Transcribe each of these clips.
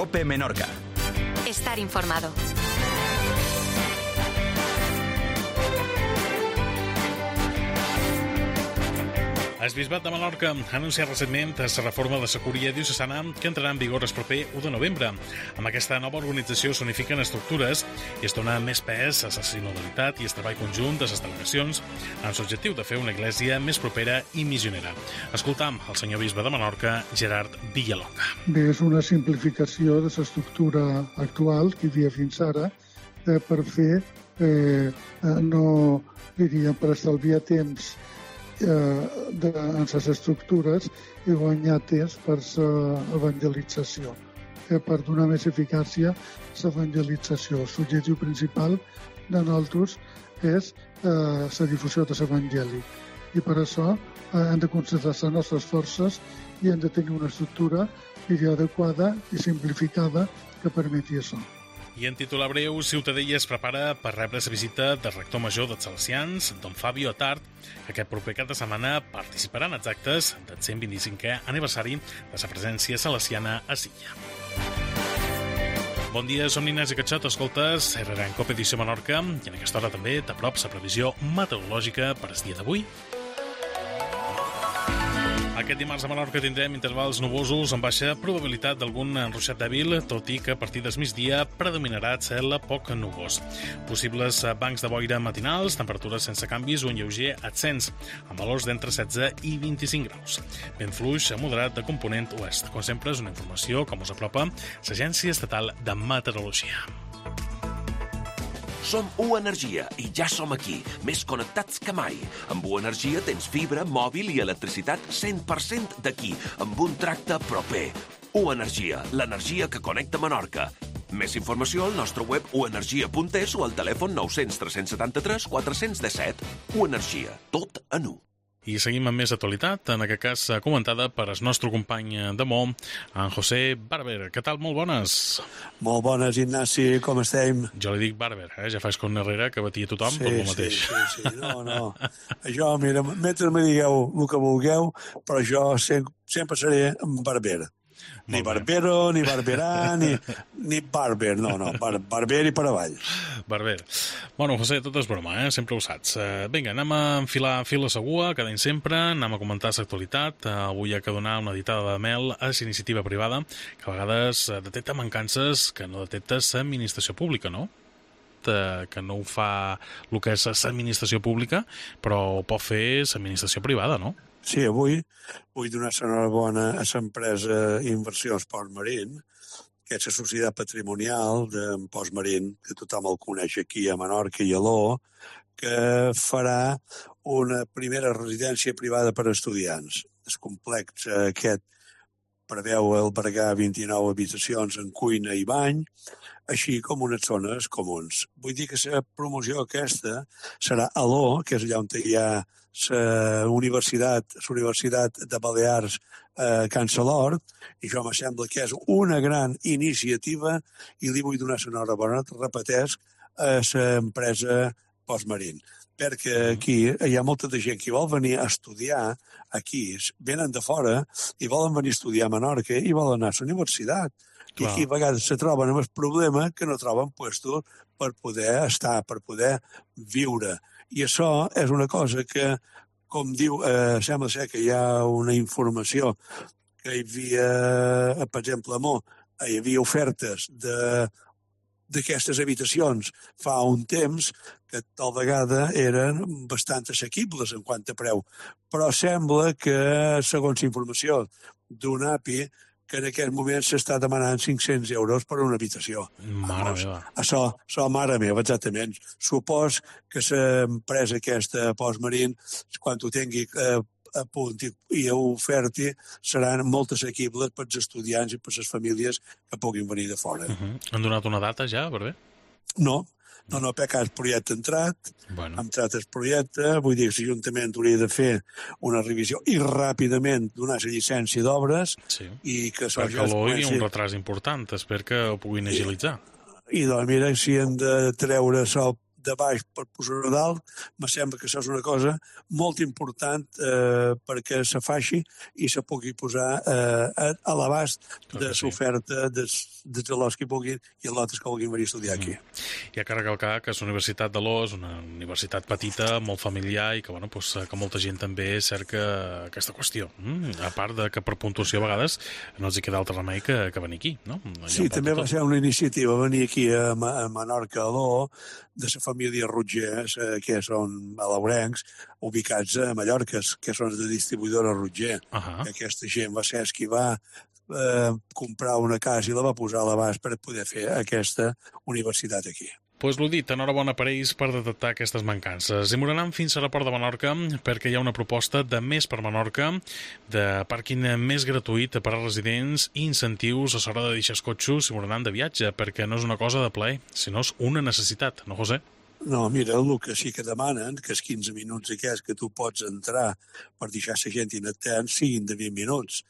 COPE Menorca. Estar informado. El Bisbat de Menorca ha anunciat recentment la reforma de la Curia Diocesana que entrarà en vigor el proper 1 de novembre. Amb aquesta nova organització s'unifiquen estructures i es dona més pes a la sinodalitat i el treball conjunt de les delegacions amb l'objectiu de fer una església més propera i missionera. Escoltam el senyor bisbe de Menorca, Gerard Villalonga. Bé, és una simplificació de l'estructura actual que hi havia fins ara per fer, per estalviar temps en les estructures i guanyar temps per l'evangelització, per donar més eficàcia a l'evangelització. L'objectiu principal de nosaltres és la difusió de l'evangeli i per això hem de concentrar les nostres forces i hem de tenir una estructura adequada i simplificada que permeti això. I en titular breu, Ciutadella es prepara per rebre la visita del rector major dels Salesians, don Fabio Attard, que aquest proper cap de setmana participarà en els actes del 125è aniversari de la presència salesiana a Silla. Bon dia, som Inés i Catxot, escoltes RRA en COPE Edició Menorca i en aquesta hora també t'aprop la previsió meteorològica per al dia d'avui. Aquest dimarts a Menorca tindrem intervals nuvosos amb baixa probabilitat d'algun enruixat dèbil, tot i que a partir del migdia predominarà el cel poc nuvós. Possibles bancs de boira matinals, temperatures sense canvis o en lleuger ascens, amb valors d'entre 16 i 25 graus. Vent fluix moderat de component oest. Com sempre, és una informació com us apropa l'Agència Estatal de Meteorologia. Som U Energia i ja som aquí, més connectats que mai. Amb U Energia tens fibra, mòbil i electricitat 100% d'aquí, amb un tracte proper. U Energia, l'energia que connecta Menorca. Més informació al nostre web uenergia.es o al telèfon 900 373 417. U Energia, tot en U. I seguim amb més actualitat, en aquest cas comentada per el nostre company de Mo, en José Barber. Què tal? Molt bones. Molt bones, Ignasi, com estem? Jo li dic Barber, ja fa com Herrera, que batia tothom per el mateix. Sí, no. Això, mira, mentre me digueu el que vulgueu, però jo sempre seré Barber. Ni Barbero, ni Barberà, ni Barber, no, Barber i per avall. Barber. Bueno, José, tot és broma, sempre ho saps. Vinga, anem a enfilar fil a segua, cada any sempre, anem a comentar l'actualitat. Avui hi ha que donar una ditada de mel a l'iniciativa privada, que a vegades detecta mancances que no detecta l'administració pública, no? Que no ho fa el que és l'administració pública, però ho pot fer l'administració privada, no? Sí, avui vull donar l'enhorabona a l'empresa Inversions Port Marín, que és la societat patrimonial d'en Port Marín, que tothom el coneix aquí a Menorca i a l'O, que farà una primera residència privada per a estudiants. El complex aquest preveu albergar 29 habitacions en cuina i bany, així com unes zones comuns. Vull dir que la promoció aquesta serà a l'O, que és allà on hi ha la Universitat de Balears a Can Salord, i això me sembla que és una gran iniciativa i li vull donar l'enhorabona, repeteix, a l'empresa Postmarín, perquè aquí hi ha molta de gent que vol venir a estudiar aquí, venen de fora i volen venir a estudiar a Menorca i volen anar a la universitat. I aquí a vegades se troben amb el problema que no troben puestos per poder estar, per poder viure. I això és una cosa que, com diu, sembla ser que hi ha una informació que hi havia, per exemple, a Mo, hi havia ofertes d'aquestes habitacions fa un temps que tal vegada eren bastant assequibles en quant a preu. Però sembla que, segons informació d'un API, que en aquest moment s'està demanant 500 euros per una habitació. Mare meva. Això, mare meva, exactament. Supos que l'empresa aquesta, Postmarín, quan ho tingui a punt i ho oferti, seran molt assequibles per als estudiants i per les famílies que puguin venir de fora. Han donat una data ja, per bé? No, perquè el projecte ha entrat, ha entrat el projecte, vull dir que l'Ajuntament hauria de fer una revisió i ràpidament donar la llicència d'obres i que això ja es comenci... Hi ha un retras important, espero que ho puguin agilitzar. I doncs mira, si hem de treure això de baix per posar-ho dalt, me sembla que això és una cosa molt important perquè se faci i se pugui posar a l'abast de l'oferta dels alumnes que puguin i altres que vulguin venir a estudiar aquí. Hi ha que recalcar que la Universitat de l'O és una universitat petita, molt familiar i que, bueno, doncs, que molta gent també cerca aquesta qüestió. A part de que per puntuació a vegades no els hi queda altre remei que venir aquí, no? Sí, també va ser una iniciativa venir aquí a Menorca, a l'O, de la família Rotgers, que són alaurencs, ubicats a Mallorca, que són de distribuïdora Rotger. Aquesta gent va ser qui va comprar una casa i la va posar a l'abast per poder fer aquesta universitat aquí. Pues l'ho dit, enhorabona per ells per detectar aquestes mancances. I m'anem fins a l'aeroport de Menorca perquè hi ha una proposta de Més per Menorca, de pàrquing més gratuït per a residents i incentius a l'hora de deixar els cotxes i m'anem de viatge, perquè no és una cosa de plaer, sinó és una necessitat, no, José? No, mira, el que sí que demanen, que els 15 minuts aquests que tu pots entrar per deixar la gent inactent siguin de 20 minuts,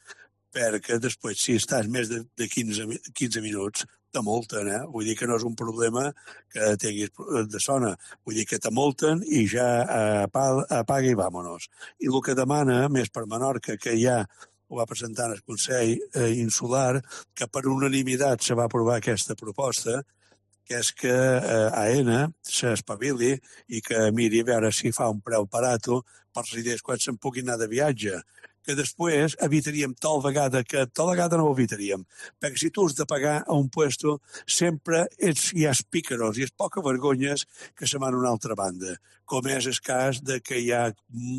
perquè després, si estàs més de 15 minuts, te multen, Vull dir que no és un problema que tinguis de zona. Vull dir que te multen i ja apaga i vámonos. I el que demana, Més per Menorca, que ja ho va presentar el Consell Insular, que per unanimitat se va aprovar aquesta proposta, que és que AENA s'espavili i que miri a veure si fa un preu barato per residents quan se'n puguin anar de viatge, que després evitaríem tal vegada no ho evitaríem, perquè si tu has de pagar a un puesto sempre hi ha pícaros i és poca vergonyes que se van a una altra banda, com és el cas de que hi ha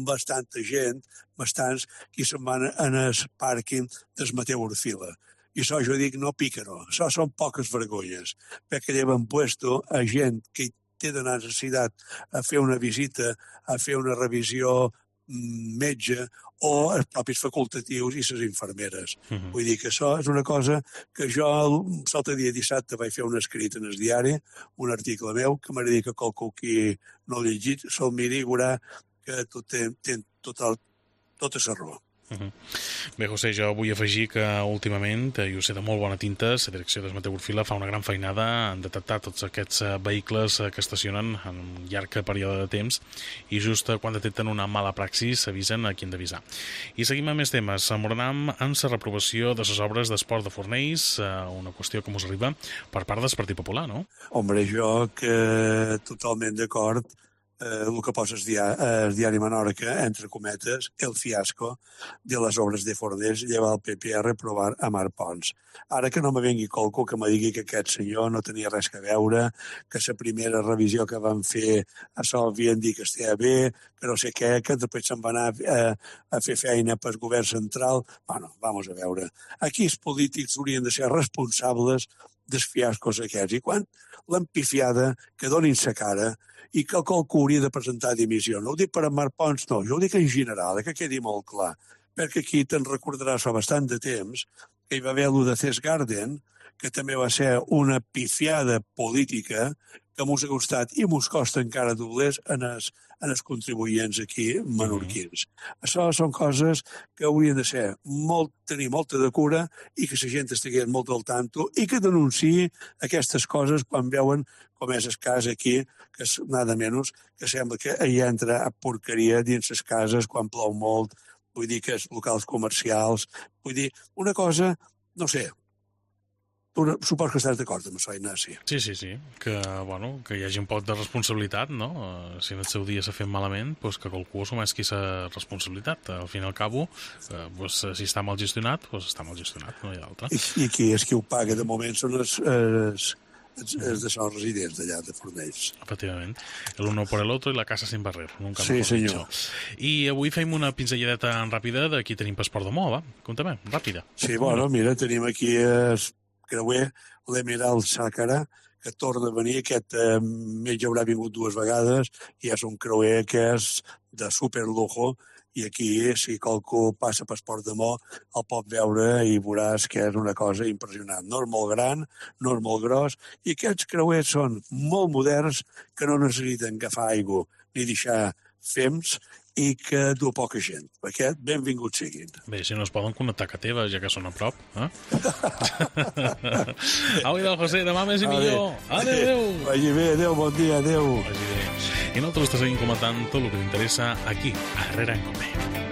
bastanta gent, bastants, qui se'n van en el pàrquing del Mateu Orfila. I això jo dic no pícaro, això són poques vergonyes, perquè lleven puesto a gent que té de necessitat a fer una visita, a fer una revisió metge o els propis facultatius i les infermeres. Vull dir que això és una cosa que jo l'altre dia dissabte vaig fer un escrit en el diari, un article meu, que m'agradaria que qualcú qui no l'ha llegit se'l miri i veurà que té tota la raó. Bé, José, jo vull afegir que últimament, i ho sé de molt bona tinta, la direcció del Mateu Orfila fa una gran feinada en detectar tots aquests vehicles que estacionen en un llarg període de temps i just quan detecten una mala praxis avisen a qui han d'avisar. I seguim amb més temes. M'anem en la reprovació de les obres d'esport de Fornells, una qüestió que us arriba per part del Partit Popular, no? Hombre, jo que totalment d'acord el que posa el diari Menorca, entre cometes, el fiasco de les obres de Fornells lleva el PP a reprovar a Marc Pons. Ara que no me vengui qualcú que me digui que aquest senyor no tenia res a veure, que la primera revisió que van fer això havien dit que estava bé, que no sé què, que després se'n va anar a fer feina pel govern central. Bueno, vamos a veure. Aquí els polítics haurien de ser responsables dels fiascos aquests. I quan l'empifiada que donin sa cara i que qualcú hauria de presentar dimissió. No ho dic per a Marc Pons, no, jo ho dic en general, que quedi molt clar, perquè aquí te'n recordaràs fa bastant de temps que hi va haver allò de Cesc Garden, que també va ser una pifiada política que mos ha costat i mos costa encara doblers en els contribuents aquí menorquins. Això són coses que haurien de ser tenir molta de cura i que la gent estigués molt al tanto i que denunciï aquestes coses quan veuen, com és el cas aquí, que és nada menys, que sembla que hi entra a porqueria dins les cases quan plou molt, vull dir que els locals comercials, vull dir, una cosa, no sé, suposo que estàs d'acord amb això, Ignasi. Sí, que hi hagi un poc de responsabilitat, no? Si en el seu dia s'ha fet malament, doncs que qualcú assumeixi la responsabilitat. Al fin i al cabo, si està mal gestionat, està mal gestionat, no hi ha d'altre. I qui és qui ho paga de moment són els de són residents d'allà, de Fornells. Efectivament. El uno por el otro i la casa sin barrer. Sí, senyor. I avui fem una pinzelladeta ràpida de qui tenim passaport de Moa, va? Compte-me, ràpida. Sí, mira, tenim aquí creuer l'Emerald Sàcara, que torna a venir, aquest mes ja haurà vingut 2 vegades, i és un creuer que és de superlujo, i aquí, si qualcú passa per Port de Mo, el pot veure i veuràs que és una cosa impressionant. No és molt gran, no és molt gros, i aquests creuers són molt moderns, que no necessiten agafar aigua ni deixar fems, i que du poca gent. Perquè benvinguts siguin. Bé, si no es poden connectar a casa teva, ja que són a prop. Au, idò, José, demà més i millor. Adéu. Vagi bé, adéu, bon dia, adéu. Vagi bé. I nosaltres te seguim comentant tot el que t'interessa aquí, a Herrera en Cope.